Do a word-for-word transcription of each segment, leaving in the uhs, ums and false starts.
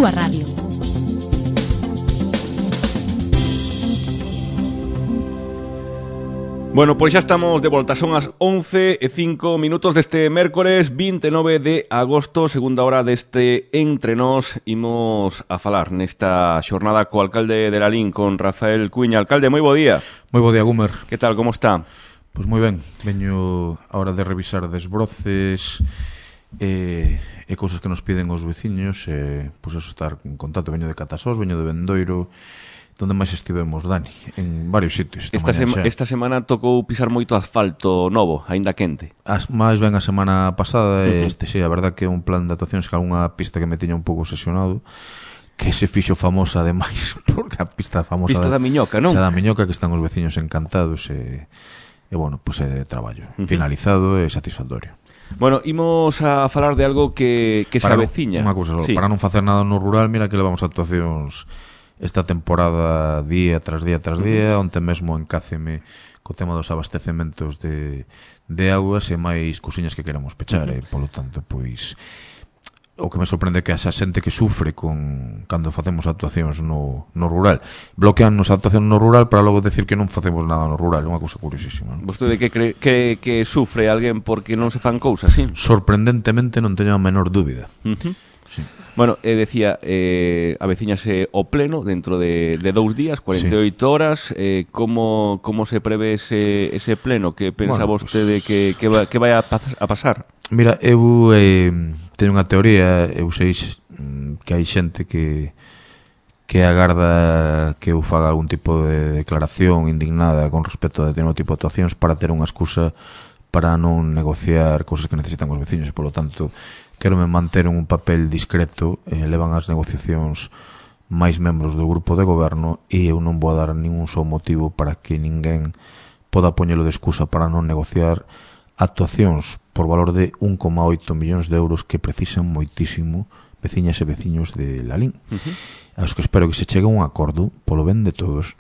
túa radio. Bueno, pois xa estamos de volta, son as once e cinco minutos deste mércores vinte e nove de agosto, segunda hora deste Entre Nós. Imos a falar nesta xornada co alcalde de Lalín, con Rafael Cuiña. Alcalde, moi bo día. Moi bo día, Gumer. Que tal, como está? Pois moi ben, veño a hora de revisar desbroces e, e cousas que nos piden os veciños, e pois eso, estar en contacto. Veño de Catasós, veño de Bendoiro. Donde máis estivemos, Dani? En varios sitios. Esta, sema, esta semana tocou pisar moito asfalto novo, aínda quente. As, máis ben a semana pasada, uh-huh. este sí, a verdad que é un plan de actuacións que algunha pista que me tiña un pouco obsesionado, que se fixo famosa ademais, porque a pista famosa pista da, da Miñoca, non? Xa da Miñoca, que están os veciños encantados e, e bueno, pois pues, é traballo uh-huh. finalizado e satisfactorio. Bueno, imos a falar de algo que, que se aveciña. Unha cousa só, sí. Para non facer nada no rural, mira que levamos actuacións esta temporada día tras día tras día, onte mesmo encáceme co tema dos abastecementos de, de augas e máis cousiñas que queremos pechar, uh-huh. e polo tanto, pois o que me sorprende é que esa xente que sufre con cando facemos actuacións no, no rural, bloqueannos a actuación no rural para logo decir que non facemos nada no rural, é unha cousa curiosísima, non? Vostede que cree que, que sufre alguén porque non se fan cousas, sí? Sorprendentemente non teño a menor dúbida. Uh-huh. Sí. Bueno, eh, decía, eh, aveciñase o pleno dentro de, de dous días, cuarenta e oito sí. horas. eh, como, como se prevé ese, ese pleno? Que pensa bueno, vostede pues... que, que, va, que vai a, pas, a pasar? Mira, eu eh, teño unha teoría. Eu sei que hai xente que que agarda que eu faga algún tipo de declaración indignada con respecto a determinado tipo de actuacións para ter unha excusa para non negociar cousas que necesitan os veciños, e polo tanto quero me manter en un papel discreto. eh, levan as negociacións máis membros do grupo de goberno e eu non vou dar ningún só motivo para que ninguén poda poñelo de excusa para non negociar actuacións por valor de un coma oito millóns de euros que precisan moitísimo veciñas e veciños de Lalín. Uh-huh. Aos que espero que se chegue a un acordo polo ben de todos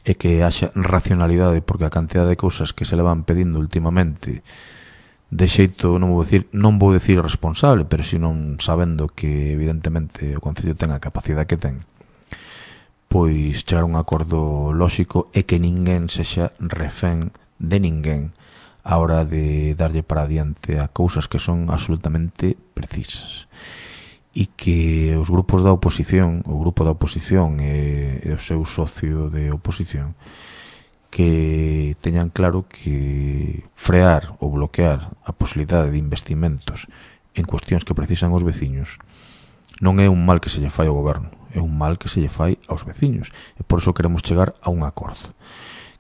e que haxa racionalidade, porque a cantidad de cousas que se le van pedindo últimamente de xeito, non vou decir, non vou decir responsable, pero si non sabendo que evidentemente o Concello ten a capacidade que ten, pois chegar a un acordo lóxico e que ninguén sexa refén de ninguén a hora de darlle para adiante a cousas que son absolutamente precisas, e que os grupos da oposición, o grupo da oposición e, e o seu socio de oposición, que teñan claro que frear ou bloquear a posibilidade de investimentos en cuestións que precisan os veciños non é un mal que se lle fai ao goberno, é un mal que se lle fai aos veciños, e por iso queremos chegar a un acordo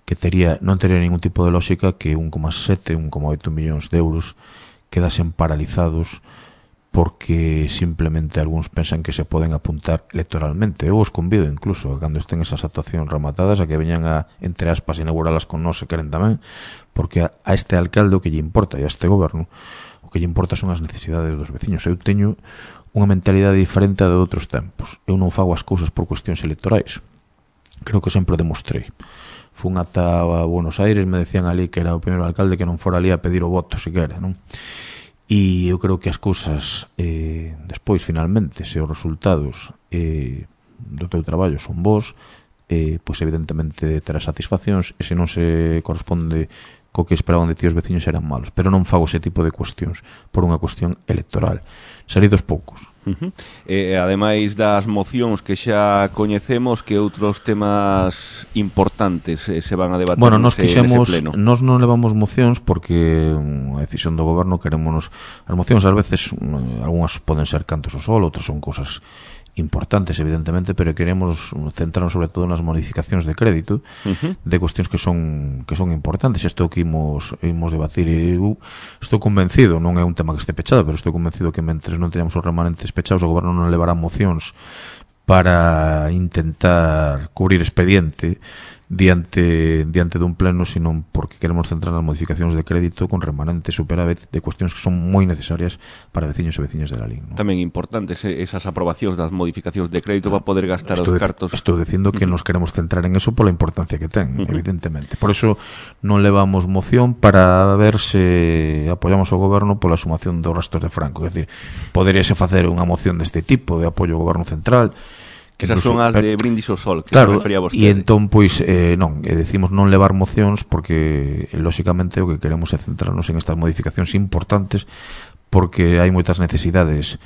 que tería, non tería ningún tipo de lógica que un coma sete, un coma oito millóns de euros quedasen paralizados porque simplemente algúns pensan que se poden apuntar electoralmente. Eu os convido incluso a cando estén esas actuacións rematadas a que veñan a, entre aspas, inauguralas con nós se queren tamén, porque a, a este alcalde o que lle importa e a este goberno o que lle importa son as necesidades dos veciños. Eu teño unha mentalidade diferente a de outros tempos. Eu non fago as cousas por cuestións electorais. Creo que sempre demostrei. Fun ata a Buenos Aires, me decían ali que era o primeiro alcalde que non fora ali a pedir o voto, siquera, non? E eu creo que as cousas eh, despois, finalmente, se os resultados eh, do teu traballo son bons, eh, pois evidentemente terás satisfaccións, e se non se corresponde co que esperaban de ti os veciños eran malos, pero non fago ese tipo de cuestións por unha cuestión electoral. Salidos poucos. Uh-huh. E ademais das mocións que xa coñecemos, que outros temas importantes eh, se van a debater bueno, nos nese, quixemos, nese pleno? Nos non levamos mocións porque a decisión do goberno queremos. As mocións ás veces algunhas poden ser cantos ao sol, outras son cousas importantes, evidentemente, pero queremos centrarnos sobre todo nas modificacións de crédito, uh-huh. de cuestións que son que son importantes. Isto que imos, imos debatir, e eu estou convencido, non é un tema que este pechado, pero estou convencido que mentres non teñamos os remanentes pechados, o goberno non levará mocións para intentar cubrir expediente diante diante dun pleno, sino porque queremos centrar nas modificacións de crédito con remanente superávit de cuestións que son moi necesarias para veciños e veciñas de la L I N, ¿no? Tamén importantes esas aprobacións das modificacións de crédito para poder gastar estou os cartos. Estou dicindo que uh-huh. nos queremos centrar en eso pola importancia que ten, uh-huh. evidentemente. Por eso non levamos moción para ver se apoiamos o goberno pola sumación dos restos de Franco. É dicir, poderíase facer unha moción deste tipo de apoio ao goberno central. Que esas son as de Brindis ao Sol, que claro, se refería a vostede. E entón, pois, eh, non, eh, decimos non levar mocións porque, eh, lóxicamente, o que queremos é centrarnos en estas modificacións importantes porque hai moitas necesidades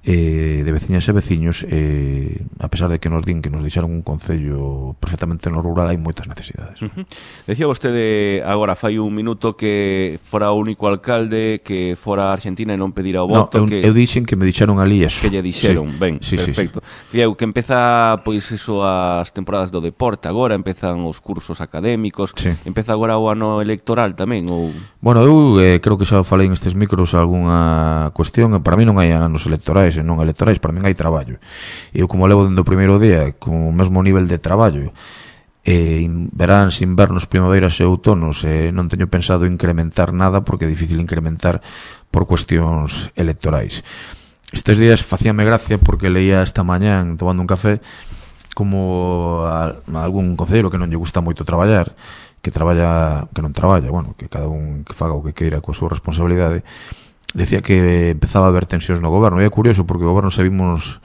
eh, de veciñas e veciños, eh, a pesar de que nos din que nos deixaron un concello perfectamente no rural, hai moitas necesidades. Uh-huh. Decía vostede agora fai un minuto que fora o único alcalde que fora a Argentina e non pedira o voto. No, eu, que, eu dixen que me dixeron ali eso. Que lle dixeron, sí. Ben, sí, perfecto. Sí, sí. Fiau, que empeza pois eso as temporadas do deporte agora, empezan os cursos académicos, sí. Empeza agora o ano electoral tamén, ou... Bueno, eu eh, creo que xa falei en estes micros algunha cuestión, para mí non hai anos electorais e non electorais, para min hai traballo. Eu como levo dende o primeiro día con o mesmo nivel de traballo, eh, veráns, invernos, primaveras e outonos, eh, non teño pensado incrementar nada porque é difícil incrementar por cuestións electorais. Estes días facíame gracia porque leía esta mañán tomando un café como a, a algún concelleiro que non lle gusta moito traballar, que traballa, que non traballa, bueno, que cada un que faga o que queira coa súa responsabilidade, decía que empezaba a haber tensións no goberno. E é curioso porque o goberno se vimos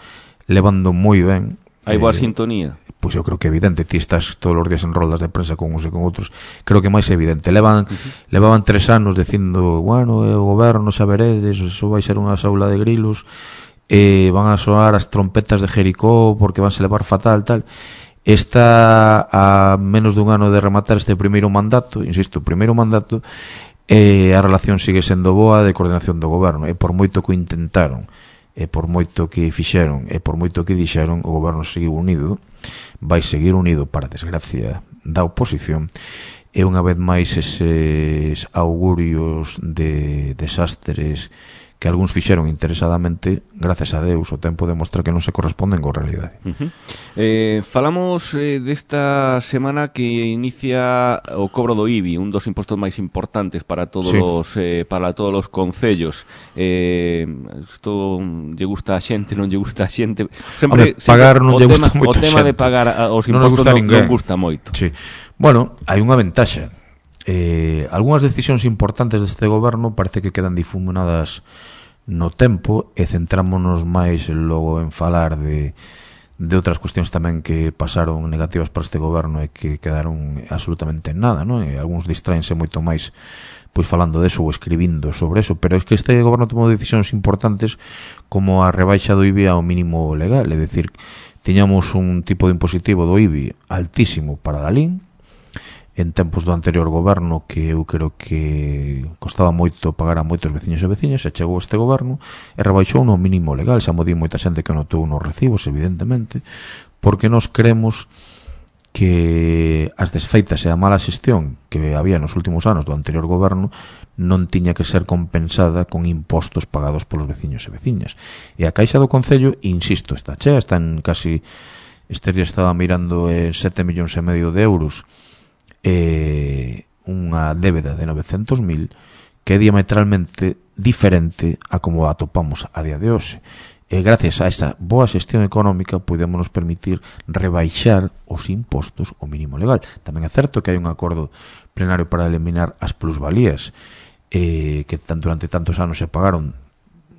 levando moi ben. Hai boa eh, sintonía. Pois eu creo que é evidente. Ti estás todos os días en roldas de prensa con uns e con outros. Creo que máis evidente. Levan, uh-huh. levaban tres anos dicindo, bueno, o goberno xa veredes, eso vai ser unha saula de grilos, e van a soar as trompetas de Jericó porque van se levar fatal, tal. Está a menos dun ano de rematar este primeiro mandato, insisto, o primeiro mandato, e a relación sigue sendo boa de coordinación do goberno, e por moito que intentaron, e por moito que fixeron, e por moito que dixeron, o goberno seguiu unido, vai seguir unido para desgracia da oposición, e unha vez máis eses augurios de desastres que algúns fixeron interesadamente, gracias a Deus, o tempo demostra que non se corresponden coa realidade. Uh-huh. Eh, falamos eh, desta semana que inicia o cobro do I B I, un dos impostos máis importantes para todos sí. os eh, para todos os concellos. Eh, isto lle gusta a xente, non lle gusta a xente. Sempre, Hombre, pagar non lle gusta O moito tema xente. de pagar a, os non impostos gusta non, non gusta moito. Sí. Bueno, hai unha ventaxa. Eh, algunhas decisións importantes deste goberno parece que quedan difuminadas no tempo e centrámonos máis logo en falar de, de outras cuestións tamén que pasaron negativas para este goberno e que quedaron absolutamente en nada, non? E algúns distraense moito máis pois falando deso ou escribindo sobre eso, pero é que este goberno tomou decisións importantes como a rebaixa do I B I ao mínimo legal, é dicir, tiñamos un tipo de impositivo do I B I altísimo para a L I N en tempos do anterior goberno, que eu creo que costaba moito pagar a moitos veciños e veciñas, e chegou este goberno e rebaixou no mínimo legal. Xa mo di moita xente que notou nos recibos, evidentemente, porque nos creemos que as desfeitas e a mala xestión que había nos últimos anos do anterior goberno non tiña que ser compensada con impostos pagados polos veciños e veciñas. E a caixa do concello, insisto, está chea, está en casi, estes días estaba mirando en sete millóns e medio de euros, eh, unha débeda de novecentos mil que é diametralmente diferente a como a atopamos a día de hoxe. E gracias a esa boa xestión económica podemos nos permitir rebaixar os impostos ao mínimo legal. Tamén é certo que hai un acordo plenario para eliminar as plusvalías eh, que tan, durante tantos anos se pagaron,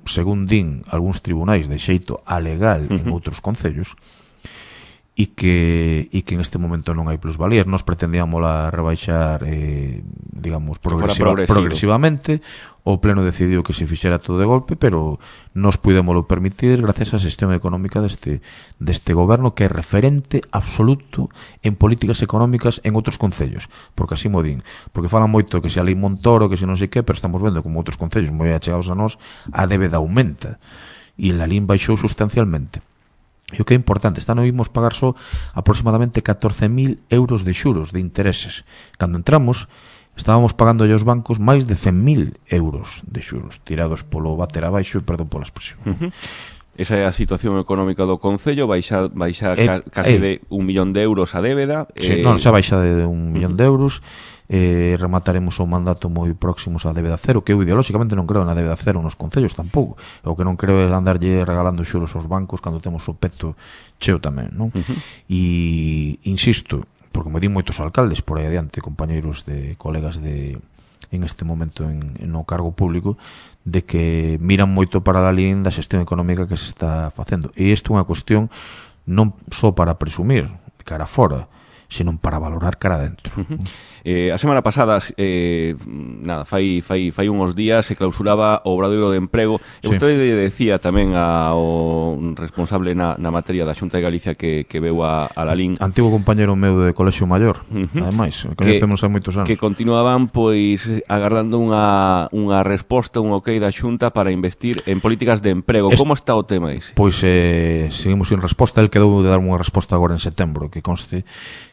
según din algúns tribunais, de xeito alegal uh-huh. en outros concellos, e que, e que en este momento non hai plusvalías. Nos pretendíamos la rebaixar eh, digamos progresiva, progresivamente. O pleno decidiu que se fixera todo de golpe, pero nos pudémoslo permitir gracias á xestión económica deste, deste goberno, que é referente absoluto en políticas económicas en outros concellos, porque así mo din, porque falan moito que se a lei Montoro, que se non sei que, pero estamos vendo como outros concellos moi achegados a nós a débeda aumenta e en la L I N baixou sustancialmente. E o que é importante, esta non vimos pagar só aproximadamente catorce mil euros de xuros, de intereses. Cando entramos, estábamos pagando aos bancos máis de cen mil euros de xuros, tirados polo bater abaixo, e perdón pola expresión. Uh-huh. Esa é a situación económica do Concello, baixa, baixa eh, ca, casi eh, de un millón de euros a débeda. Sí, eh, non, xa baixa de un millón uh -huh. de euros. Eh, remataremos o mandato moi próximos a débeda cero, que eu ideolóxicamente non creo na débeda cero nos concellos tampouco. O que non creo é andarlle regalando xuros aos bancos cando temos o peto cheo tamén, non? Uh -huh. E insisto, porque me di moitos alcaldes por aí adiante, compañeiros de colegas de en este momento en, en no cargo público, de que miran moito para a línea da xestión económica que se está facendo. E isto é unha cuestión non só para presumir cara fora, senón para valorar cara dentro. Uh -huh. eh, a semana pasada, eh, nada, fai, fai, fai uns días se clausuraba o Obradoiro de Emprego. E sí. Vostede decía tamén ao responsable na, na materia da Xunta de Galicia que, que veu a, a Lalín. Antigo compañero meu de Colexio Maior, uh -huh. ademais, conhecemos hai moitos anos. Que continuaban, pois, agardando unha, unha resposta, un ok da Xunta para investir en políticas de emprego. Es... Como está o tema ese? Pois, eh, seguimos sin resposta. El quedou de dar unha resposta agora en setembro, que conste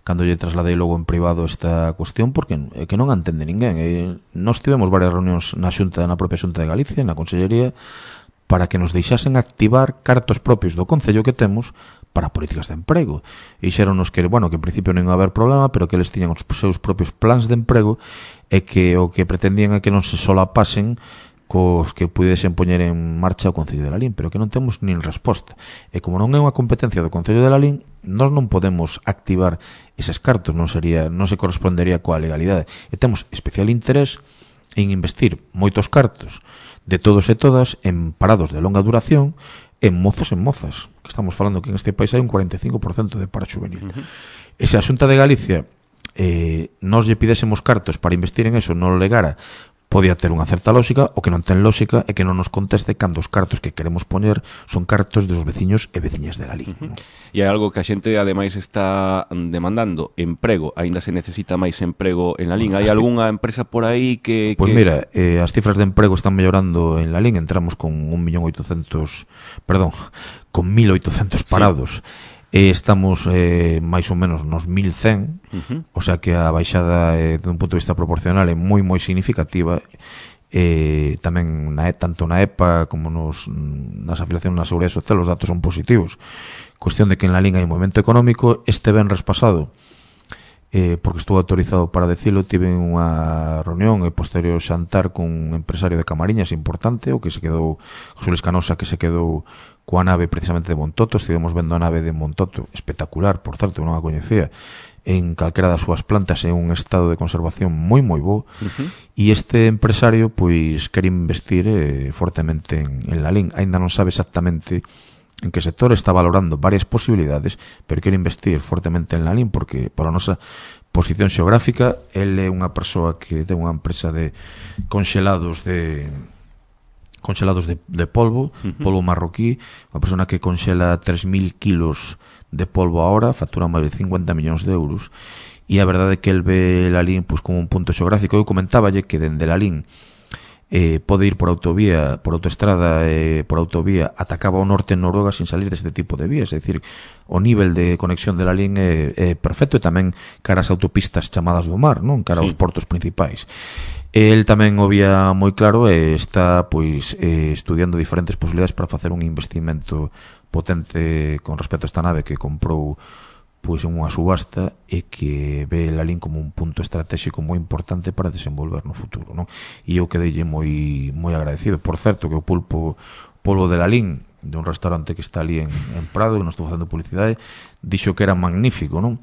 cando lle trasladei logo en privado esta cuestión, porque é que non a entende ninguén. E nós tivemos varias reunións na Xunta, na propia Xunta de Galicia, na Consellería, para que nos deixasen activar cartos propios do Concello que temos para políticas de emprego. E xeronos que, bueno, que en principio non ia haber problema, pero que eles tiñan os seus propios plans de emprego e que o que pretendían é que non se solapasen cos que pudesen poñer en marcha o Concello de Lalín, pero que non temos nin resposta. E como non é unha competencia do Concello de Lalín, nós non podemos activar eses cartos, non sería, non se correspondería coa legalidade. E temos especial interés en investir moitos cartos de todos e todas en parados de longa duración, en mozos e mozas, que estamos falando que en este país hai un cuarenta e cinco por cento de paro juvenil. Uh -huh. E se a Xunta de Galicia eh, nos lle pidésemos cartos para investir en eso, non legara, podía ter unha certa lógica. O que non ten lógica é que non nos conteste cando os cartos que queremos poñer son cartos dos veciños e veciñas de Lalín. Uh -huh. E hai algo que a xente ademais está demandando, emprego. Aínda se necesita máis emprego en Lalín. Hai algunha empresa por aí que... Pois que... mira, eh, as cifras de emprego están mellorando en Lalín. Entramos con un millón oitocentos, perdón, con mil oitocentos parados. Sí. E estamos eh, máis ou menos nos mil cen, uh -huh. O sea que a baixada eh, de un punto de vista proporcional é moi moi significativa. Eh, tamén na, tanto na E P A como nos, nas afiliacións na Seguridade Social os datos son positivos. Cuestión de que en Lalín hai un movimento económico. Este venres pasado, eh, porque estou autorizado para decirlo, tive unha reunión e posterior xantar con un empresario de Camariñas importante, o que se quedou, José Luis Canosa, que se quedou coa nave precisamente de Montoto. Estivemos vendo a nave de Montoto, espectacular, por certo, non a coñecía, en calquera das súas plantas, en un estado de conservación moi moi bo. Uh -huh. E este empresario pois quere investir eh, fortemente en, en Lalín. Ainda non sabe exactamente en que sector, está valorando varias posibilidades, pero quere investir fortemente en Lalín porque, por a nosa posición xeográfica, ele é unha persoa que ten unha empresa de conxelados de conxelados de, de polvo, uh-huh. polvo marroquí, unha persona que conxela tres mil kilos de polvo a hora, factura máis de cincuenta millóns de euros, e a verdade é que el ve Lalín pues, como un punto xeográfico. Eu comentáballe que dende Lalín eh, pode ir por autovía, por autoestrada, eh, por autovía, atacaba ao norte en Noruega sin salir deste tipo de vías. É dicir, o nivel de conexión de Lalín é, é perfecto, e tamén cara as autopistas chamadas do mar, non? Cara aos sí. portos principais. El tamén o vía moi claro e está pois eh, estudiando diferentes posibilidades para facer un investimento potente con respecto a esta nave que comprou pois en unha subasta e que ve Lalín como un punto estratégico moi importante para desenvolver no futuro, non? E eu quedeille moi moi agradecido. Por certo, que o pulpo polvo de Lalín, de un restaurante que está ali en, en Prado, que non estou facendo publicidade, dixo que era magnífico, non?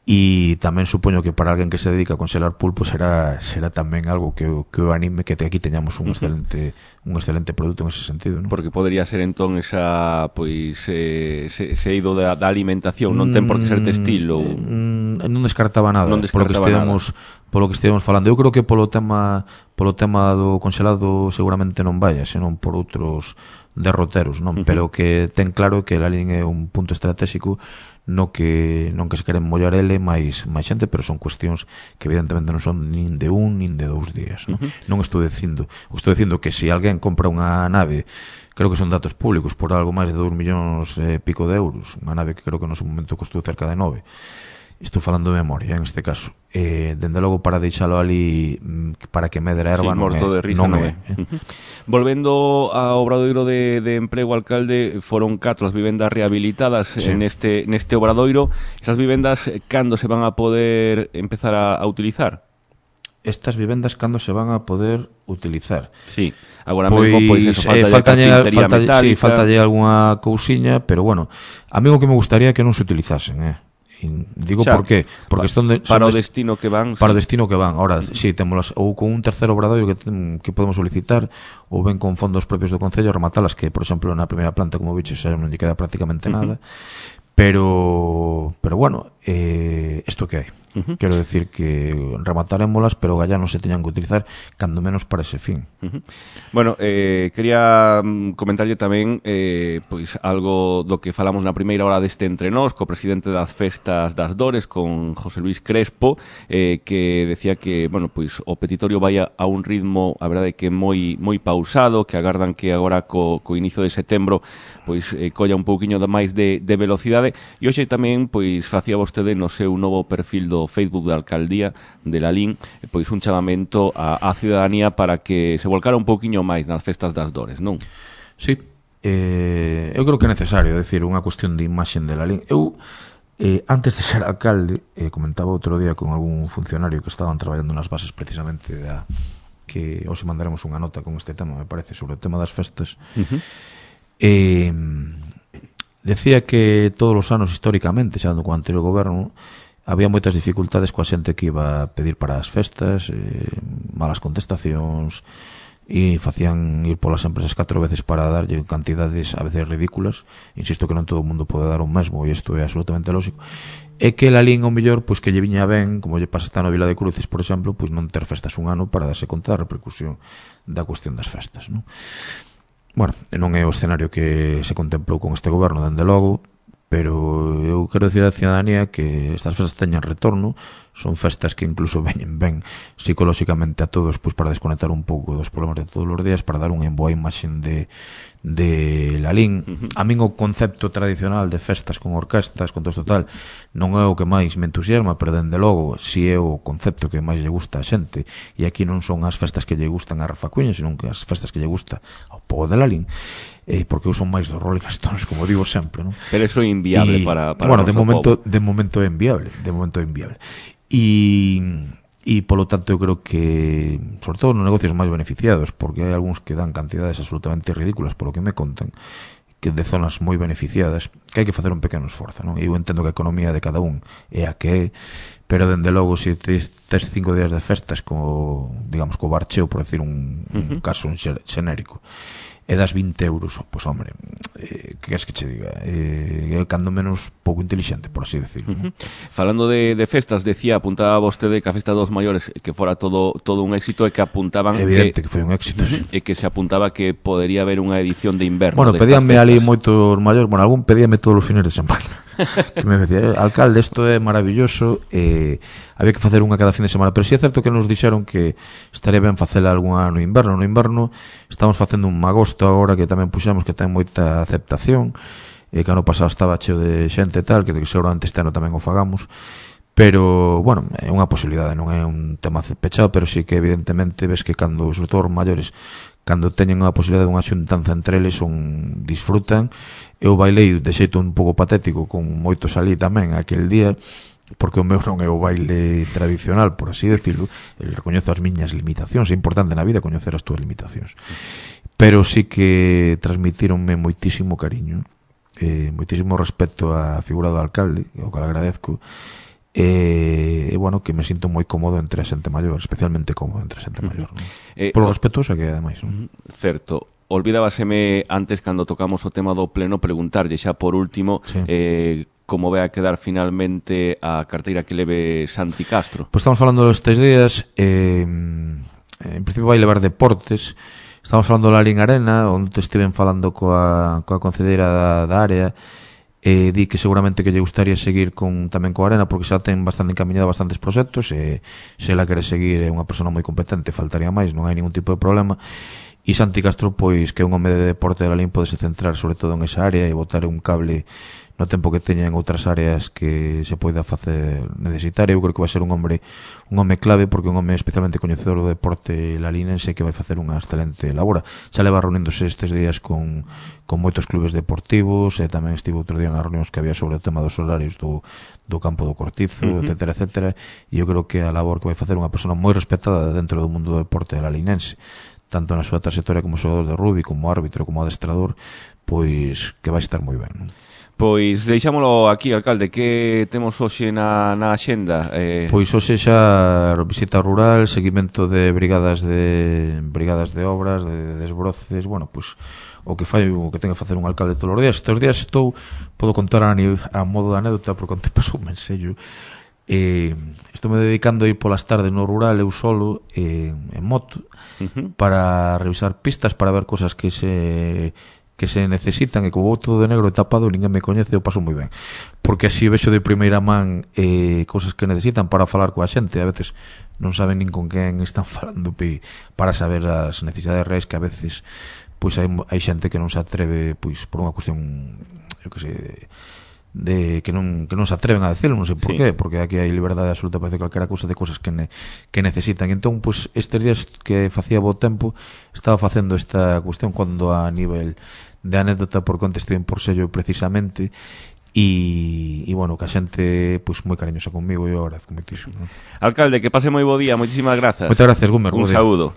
E tamén supoño que para alguén que se dedica a conxelar pulpo será será tamén algo que o, que o anime que aquí teñamos un excelente un excelente produto en ese sentido, ¿no? Porque podría ser entón esa pois eh, se, se ido da, da alimentación, non ten por que ser textil ou mm, non descartaba nada, non descartaba polo que estivemos nada. Polo que estivemos falando. Eu creo que polo tema polo tema do conxelado seguramente non vaya, senón por outros derroteros, non? Uh -huh. Pero que ten claro que Lalín é un punto estratégico no que non que se queren mollar ele máis máis xente, pero son cuestións que evidentemente non son nin de un nin de dous días, non? Uh -huh. Non estou dicindo, estou dicindo que se alguén compra unha nave, creo que son datos públicos, por algo máis de dous millóns e pico de euros, unha nave que creo que no seu momento costou cerca de nove, estou falando de memoria en este caso, eh, dende logo para deixalo ali para que medre a erva sí, non é, de risa, non non é. é. Uh-huh. Volvendo ao obradoiro de, de emprego, alcalde, foron catro as vivendas rehabilitadas sí. neste, neste obradoiro. Esas vivendas, cando se van a poder empezar a, a utilizar? Estas vivendas cando se van a poder utilizar? Sí, agora pois, mesmo, pois eso, falta eh, faltalle, carpintería faltalle, metálica. Sí, faltalle algunha cousiña, pero bueno, a mí o que me gustaría é que non se utilizasen, eh. Digo xa, por qué, porque pa, son de, son para o de, destino que van, para sí. o destino que van. Ahora, si sí, temos ou con un terceiro obradoiro que que podemos solicitar ou ben con fondos propios do concello rematalas, que por exemplo na primeira planta, como bicho, xa non lle queda prácticamente nada. Uh-huh. Pero, pero bueno, eh, esto que hai. Uh-huh. Quero decir que rematarémolas, pero gallá non se teñan que utilizar, cando menos para ese fin. Uh-huh. Bueno, eh, quería comentarlle tamén eh, pois algo do que falamos na primeira hora deste Entre Nós, co presidente das Festas das Dores, con José Luis Crespo, eh, que decía que, bueno, pois o petitorio vai a, a un ritmo, a verdade, que moi moi pausado, que agardan que agora co, co inicio de setembro pois eh, colla un pouquiño de máis de, de velocidade. E hoxe tamén pois facía vostede no seu novo perfil do Facebook da Alcaldía de Lalín pois un chamamento á, á ciudadanía para que se volcara un pouquiño máis nas festas das Dores, non? Sí, eh, eu creo que é necesario, é dicir, unha cuestión de imaxen de Lalín. Eu, eh, antes de ser alcalde, eh, comentaba outro día con algún funcionario que estaban traballando nas bases precisamente da que hoxe mandaremos unha nota con este tema, me parece, sobre o tema das festas. Uh-huh. Eh, decía que todos os anos históricamente, xa no co anterior goberno, había moitas dificultades coa xente que iba a pedir para as festas, eh, malas contestacións, e facían ir polas empresas catro veces para darlle cantidades a veces ridículas. Insisto que non todo o mundo pode dar o mesmo, e isto é absolutamente lógico. É que Lalín, ao mellor, pois que lle viña ben, como lle pasa esta na Vila de Cruces, por exemplo, pois non ter festas un ano para darse conta da repercusión da cuestión das festas, non? Bueno, non é o escenario que se contemplou con este goberno, dende logo, pero eu quero dicir á ciudadanía que estas festas teñan retorno, son festas que incluso veñen ben psicolóxicamente a todos, pois para desconectar un pouco dos problemas de todos os días, para dar unha boa imaxen de, de Lalín. Uh-huh. A min o concepto tradicional de festas con orquestas, con todo isto tal, non é o que máis me entusiasma, pero dende logo si é o concepto que máis lle gusta a xente, e aquí non son as festas que lle gustan a Rafa Cuña, senón que as festas que lle gusta ao povo de Lalín, eh, porque eu son máis dos Rolling Stones, como digo sempre, non? Pero eso é inviable y, para, para bueno, de momento, povo. de momento é inviable, de momento é inviable. E, e polo tanto eu creo que sobre todo nos negocios máis beneficiados, porque hai algúns que dan cantidades absolutamente ridículas polo que me contan, que de zonas moi beneficiadas, que hai que facer un pequeno esforzo, non? E eu entendo que a economía de cada un é a que é, pero dende logo se tes, tes cinco días de festas co, digamos, co barcheo, por decir un, uh-huh. un caso un xenérico, e das vinte euros, pois pues, hombre, eh, que es que che diga, eh, é cando menos pouco inteligente, por así decirlo. Uh-huh. Falando de, de festas, decía, apuntaba vostede que a festa dos maiores que fora todo todo un éxito, e que apuntaban evidente que, que foi un éxito, uh-huh, sí. E que se apuntaba que podería haber unha edición de inverno. Bueno, pedíanme ali moitos maiores, bueno, algún pedíame todos os fines de semana. Que me decía, alcalde, isto é maravilloso, eh, había que facer unha cada fin de semana, pero si é certo que nos dixeron que estaría ben facela algunha no inverno. No inverno estamos facendo un agosto agora que tamén puxamos, que ten moita aceptación, e que ano pasado estaba cheo de xente e tal, que seguramente este ano tamén o fagamos, pero, bueno, é unha posibilidade, non é un tema pechado, pero sí que evidentemente ves que cando, sobre todo os maiores, cando teñen a posibilidade de unha xuntanza entre eles, son, disfrutan. Eu bailei de xeito un pouco patético con moitos ali tamén aquel día, porque o meu non é o baile tradicional, por así decirlo. Eu recoñezo as miñas limitacións, é importante na vida coñecer as túas limitacións, pero sí que transmitironme moitísimo cariño, eh, moitísimo respeto á figura do alcalde, o que agradezco, e, e bueno, que me sinto moi cómodo entre a xente maior, especialmente cómodo entre a xente maior, non? Eh, por respetuosa que é, ademais, non? Certo. Olvidábaseme antes, cando tocamos o tema do pleno, preguntarlle xa por último, sí, eh, como vai a quedar finalmente a carteira que leve Santi Castro. Pois estamos falando estes días, eh, en principio vai levar deportes. Estamos falando da Lalín Arena, onde estiven falando coa, coa concelleira da, da área, e di que seguramente que lle gustaría seguir con tamén coa Arena, porque xa ten bastante encaminhado bastantes proxectos, e se ela quere seguir é unha persona moi competente, faltaría máis, non hai ningún tipo de problema. E Santi Castro, pois, que é un home de deporte de Lalín, pode se centrar sobre todo en esa área e botar un cable no tempo que teña en outras áreas que se poida facer necesitar. Eu creo que vai ser un hombre un home clave, porque un home especialmente coñecedor do deporte lalinense que vai facer unha excelente labora. Xa leva reuníndose estes días con, con moitos clubes deportivos, e tamén estivo outro día nas reunións que había sobre o tema dos horarios do, do campo do Cortizo, uh-huh. etcétera, etcétera, e eu creo que a labor que vai facer unha persona moi respetada dentro do mundo do deporte lalinense, tanto na súa trayectoria como xogador de rugby, como árbitro, como adestrador, pois que vai estar moi ben, non? Pois deixámolo aquí, alcalde, que temos hoxe na, na axenda? Eh... Pois hoxe xa visita rural, seguimento de brigadas de brigadas de obras, de desbroces, bueno, pois o que fai o que ten que facer un alcalde todos os días. Estes días estou, podo contar a, a modo de anécdota, porque onte pasou un mensello. Eh, estou me dedicando a ir polas tardes no rural, eu solo, eh, en moto, uh-huh. para revisar pistas, para ver cosas que se... que se necesitan, e como vou todo de negro e tapado, ninguén me coñece, eu paso moi ben, porque así vexo de primeira man eh, cousas que necesitan para falar coa xente. A veces non saben nin con quen están falando, para saber as necesidades reais, que a veces pois hai, hai xente que non se atreve, pois por unha cuestión, eu que sei, de, de que non que non se atreven a decirlo, non sei por sí. qué, porque aquí hai liberdade absoluta para decir calquera cousa de cousas que ne, que necesitan. Entón, pois estes días que facía bo tempo, estaba facendo esta cuestión cando a nivel de anécdota por contestín por sello precisamente, e, e bueno, que a xente pois moi cariñosa comigo, e eu agradezco moitísimo, ¿no? Alcalde, que pase moi bo día, moitísimas grazas. Moitas gracias, Gumer. Un saúdo.